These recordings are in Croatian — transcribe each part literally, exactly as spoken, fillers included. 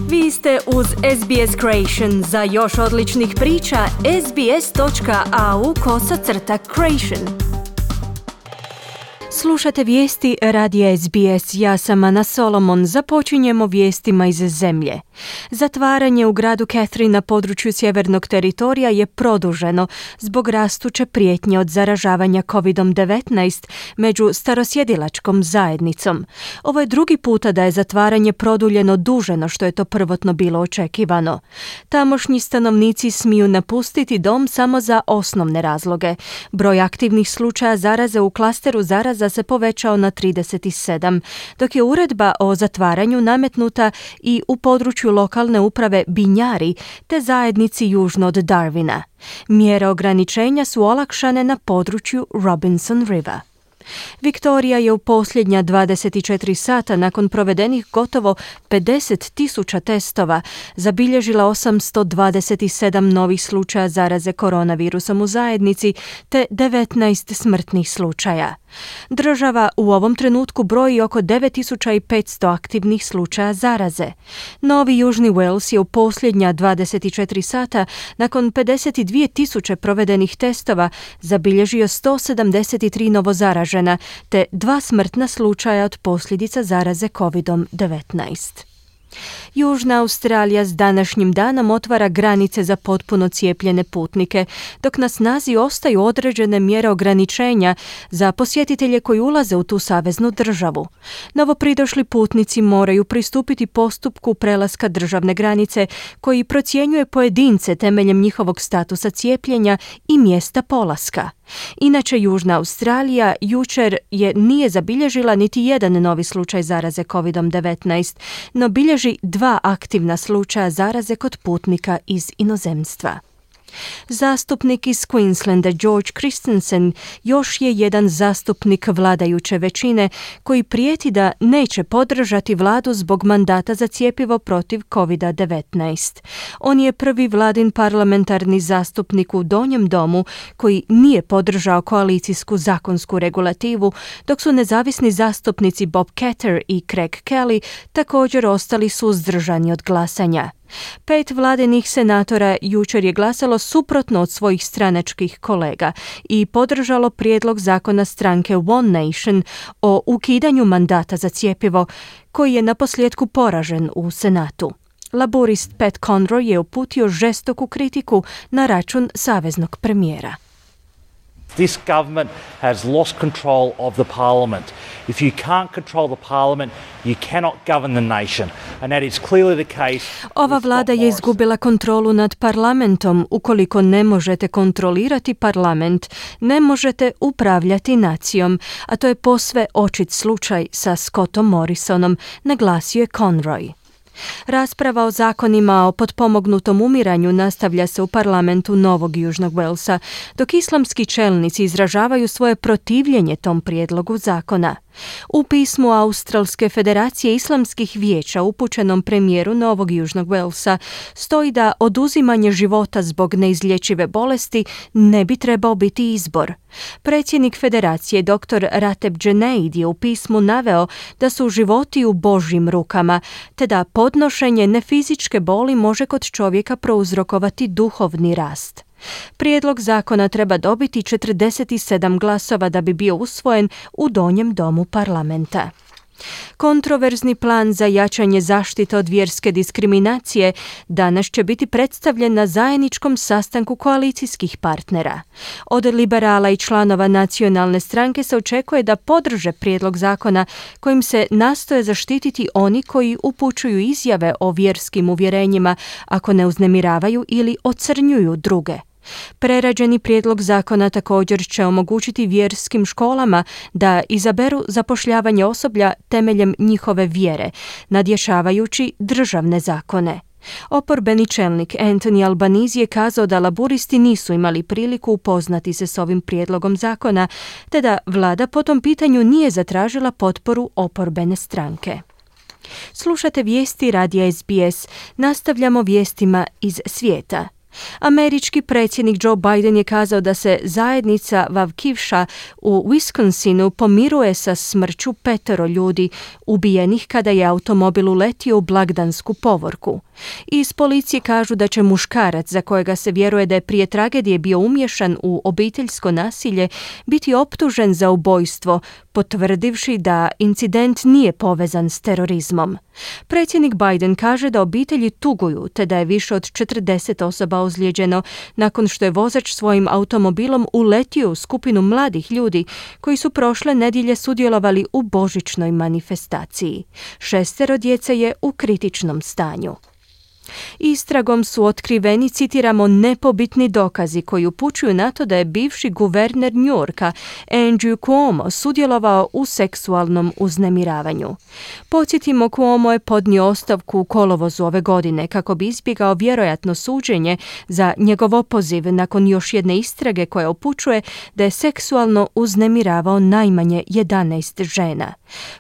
Vi ste uz S B S Creation. Za još odličnih priča, sbs.au kosacrta creation. Slušate vijesti radija S B S. Ja sam Ana Solomon. Započinjemo vijestima iz zemlje. Zatvaranje u gradu Catherine na području sjevernog teritorija je produženo zbog rastuće prijetnje od zaražavanja covid devetnaest među starosjedilačkom zajednicom. Ovo je drugi puta da je zatvaranje produljeno duže no što je to prvotno bilo očekivano. Tamošnji stanovnici smiju napustiti dom samo za osnovne razloge. Broj aktivnih slučaja zaraze u klasteru zaraza se povećao na trideset sedam, dok je uredba o zatvaranju nametnuta i u području lokalne uprave Binjari te zajednici južno od Darwina. Mjere ograničenja su olakšane na području Robinson River. Viktorija je u posljednja dvadeset četiri sata nakon provedenih gotovo pedeset tisuća testova zabilježila osamsto dvadeset sedam novih slučaja zaraze koronavirusom u zajednici te devetnaest smrtnih slučaja. Država u ovom trenutku broji oko devet tisuća petsto aktivnih slučaja zaraze. Novi Južni Wales je u posljednja dvadeset četiri sata nakon pedeset dvije tisuće provedenih testova zabilježio sto sedamdeset tri novozaražena te dva smrtna slučaja od posljedica zaraze covid devetnaest. Južna Australija s današnjim danom otvara granice za potpuno cijepljene putnike, dok na snazi ostaju određene mjere ograničenja za posjetitelje koji ulaze u tu saveznu državu. Novopridošli putnici moraju pristupiti postupku prelaska državne granice koji procjenjuje pojedince temeljem njihovog statusa cijepljenja i mjesta polaska. Inače, Južna Australija jučer je nije zabilježila niti jedan novi slučaj zaraze covid devetnaest, no bilježi dva aktivna slučaja zaraze kod putnika iz inozemstva. Zastupnik iz Queenslanda George Christensen još je jedan zastupnik vladajuće većine koji prijeti da neće podržati vladu zbog mandata za cjepivo protiv covid devetnaest. On je prvi vladin parlamentarni zastupnik u Donjem domu koji nije podržao koalicijsku zakonsku regulativu, dok su nezavisni zastupnici Bob Katter i Craig Kelly također ostali suzdržani od glasanja. Pet vladinih senatora jučer je glasalo suprotno od svojih stranačkih kolega i podržalo prijedlog zakona stranke One Nation o ukidanju mandata za cjepivo, koji je naposljetku poražen u Senatu. Laborist Pat Conroy je uputio žestoku kritiku na račun saveznog premijera. This government has lost control of the parliament. If you can't control the parliament, you cannot govern the nation. And that is clearly the case. Ova vlada je izgubila kontrolu nad parlamentom. Ukoliko ne možete kontrolirati parlament, ne možete upravljati nacijom. A to je posve očit slučaj sa Scottom Morrisonom, naglasio je Conroy. Rasprava o zakonima o potpomognutom umiranju nastavlja se u parlamentu Novog Južnog Walesa, dok islamski čelnici izražavaju svoje protivljenje tom prijedlogu zakona. U pismu Australske federacije islamskih vijeća upućenom premijeru Novog Južnog Walesa stoji da oduzimanje života zbog neizlječive bolesti ne bi trebao biti izbor. Predsjednik federacije dr. Rateb Junaid je u pismu naveo da su životi u Božjim rukama, te da podnošenje nefizičke boli može kod čovjeka prouzrokovati duhovni rast. Prijedlog zakona treba dobiti četrdeset sedam glasova da bi bio usvojen u Donjem domu parlamenta. Kontroverzni plan za jačanje zaštite od vjerske diskriminacije danas će biti predstavljen na zajedničkom sastanku koalicijskih partnera. Od liberala i članova nacionalne stranke se očekuje da podrže prijedlog zakona kojim se nastoje zaštititi oni koji upućuju izjave o vjerskim uvjerenjima ako ne uznemiravaju ili ocrnjuju druge. Prerađeni prijedlog zakona također će omogućiti vjerskim školama da izaberu zapošljavanje osoblja temeljem njihove vjere, nadjačavajući državne zakone. Oporbeni čelnik Anthony Albanese je kazao da laburisti nisu imali priliku upoznati se s ovim prijedlogom zakona, te da vlada po tom pitanju nije zatražila potporu oporbene stranke. Slušate vijesti radija S B S, nastavljamo vijestima iz svijeta. Američki predsjednik Joe Biden je kazao da se zajednica Waukeesha u Wisconsinu pomiruje sa smrću petero ljudi ubijenih kada je automobil uletio u blagdansku povorku. Iz policije kažu da će muškarac, za kojega se vjeruje da je prije tragedije bio umješan u obiteljsko nasilje, biti optužen za ubojstvo, potvrdivši da incident nije povezan s terorizmom. Predsjednik Biden kaže da obitelji tuguju te da je više od četrdeset osoba ozlijeđeno nakon što je vozač svojim automobilom uletio u skupinu mladih ljudi koji su prošle nedjelje sudjelovali u božićnoj manifestaciji. Šestero djece je u kritičnom stanju. Istragom su otkriveni, citiramo, nepobitni dokazi koji upućuju na to da je bivši guverner New Yorka Andrew Cuomo sudjelovao u seksualnom uznemiravanju. Podsjetimo, Cuomo je podnio ostavku u kolovozu ove godine kako bi izbjegao vjerojatno suđenje za njegov opoziv nakon još jedne istrage koja upućuje da je seksualno uznemiravao najmanje jedanaest žena.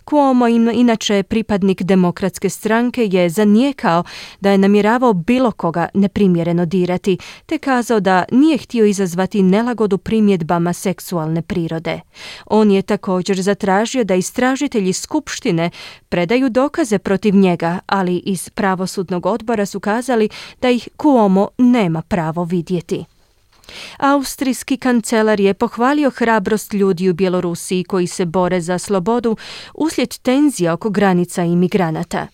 Cuomo, inače pripadnik demokratske stranke, je zanijekao da je namjeravao bilo koga neprimjereno dirati, te kazao da nije htio izazvati nelagodu primjedbama seksualne prirode. On je također zatražio da istražitelji skupštine predaju dokaze protiv njega, ali iz pravosudnog odbora su kazali da ih Cuomo nema pravo vidjeti. Austrijski kancelar je pohvalio hrabrost ljudi u Bjelorusiji koji se bore za slobodu uslijed tenzija oko granica imigranata.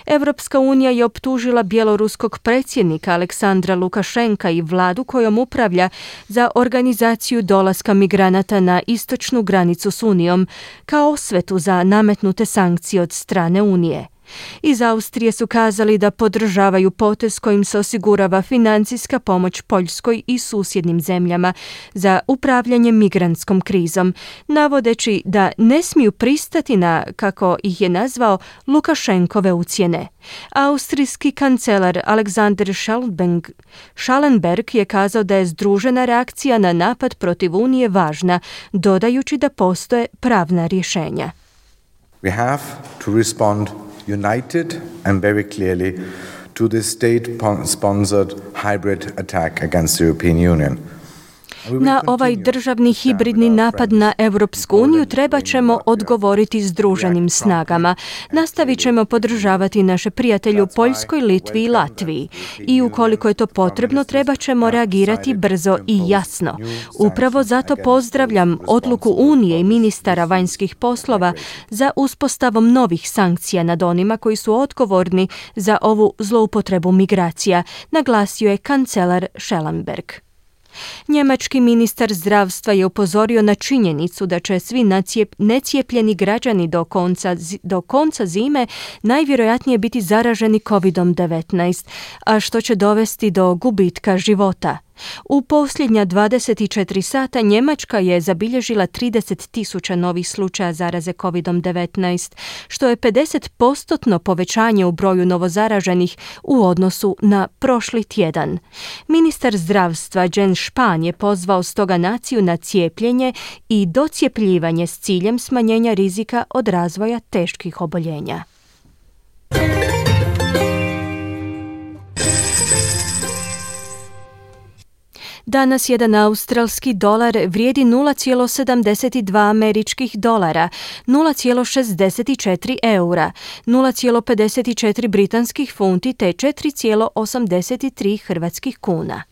Europska unija je optužila bjeloruskog predsjednika Aleksandra Lukašenka i vladu kojom upravlja za organizaciju dolaska migranata na istočnu granicu s Unijom kao osvetu za nametnute sankcije od strane Unije. Iz Austrije su kazali da podržavaju potez kojim se osigurava financijska pomoć Poljskoj i susjednim zemljama za upravljanje migrantskom krizom, navodeći da ne smiju pristati na, kako ih je nazvao, Lukašenkove ucjene. Austrijski kancelar Alexander Schallenberg je kazao da je združena reakcija na napad protiv Unije važna, dodajući da postoje pravna rješenja. We have to respond united and very clearly to this state-sponsored hybrid attack against the European Union. Na ovaj državni hibridni napad na Europsku uniju treba ćemo odgovoriti združenim snagama. Nastavit ćemo podržavati naše prijatelje u Poljskoj, Litvi i Latviji. I ukoliko je to potrebno, treba ćemo reagirati brzo i jasno. Upravo zato pozdravljam odluku Unije i ministara vanjskih poslova za uspostavom novih sankcija nad onima koji su odgovorni za ovu zloupotrebu migracija, naglasio je kancelar Schallenberg. Njemački ministar zdravstva je upozorio na činjenicu da će svi necijepljeni građani do konca, do konca zime najvjerojatnije biti zaraženi kovid devetnaest, a što će dovesti do gubitka života. U posljednja dvadeset četiri sata Njemačka je zabilježila trideset tisuća novih slučaja zaraze kovid devetnaest, što je pedeset posto povećanje u broju novozaraženih u odnosu na prošli tjedan. Ministar zdravstva Jens Spahn je pozvao stoga naciju na cijepljenje i docijepljivanje s ciljem smanjenja rizika od razvoja teških oboljenja. Danas jedan australski dolar vrijedi nula zarez sedamdeset dva američkih dolara, nula zarez šezdeset četiri eura, nula zarez pedeset četiri britanskih funti te četiri zarez osamdeset tri hrvatskih kuna.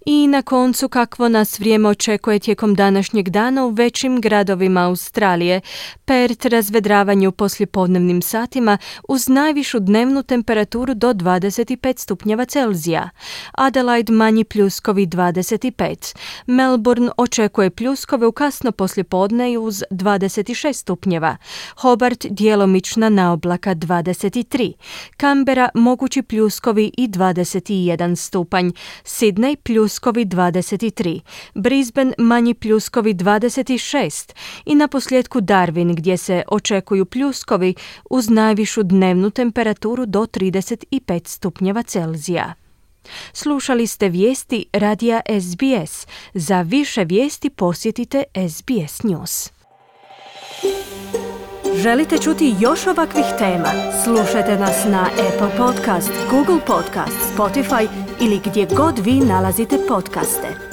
I na koncu, kakvo nas vrijeme očekuje tijekom današnjeg dana u većim gradovima Australije. Perth razvedravanje u poslijepodnevnim satima uz najvišu dnevnu temperaturu do dvadeset pet stupnjeva Celzija. Adelaide manji pljuskovi dvadeset pet. Melbourne očekuje pljuskove u kasno poslijepodne uz dvadeset šest stupnjeva. Hobart djelomična naoblaka dvadeset tri. Canberra mogući pljuskovi i dvadeset jedan stupanj. Sydney pljuskovi dvadeset tri, Brisbane manji pljuskovi dvadeset šest i na posljedku Darwin gdje se očekuju pljuskovi uz najvišu dnevnu temperaturu do trideset pet stupnjeva Celzija. Slušali ste vijesti radija S B S. Za više vijesti posjetite S B S News. Želite čuti još ovakvih tema? Slušajte nas na Apple Podcast, Google Podcast, Spotify ili gdje god vi nalazite podcaste.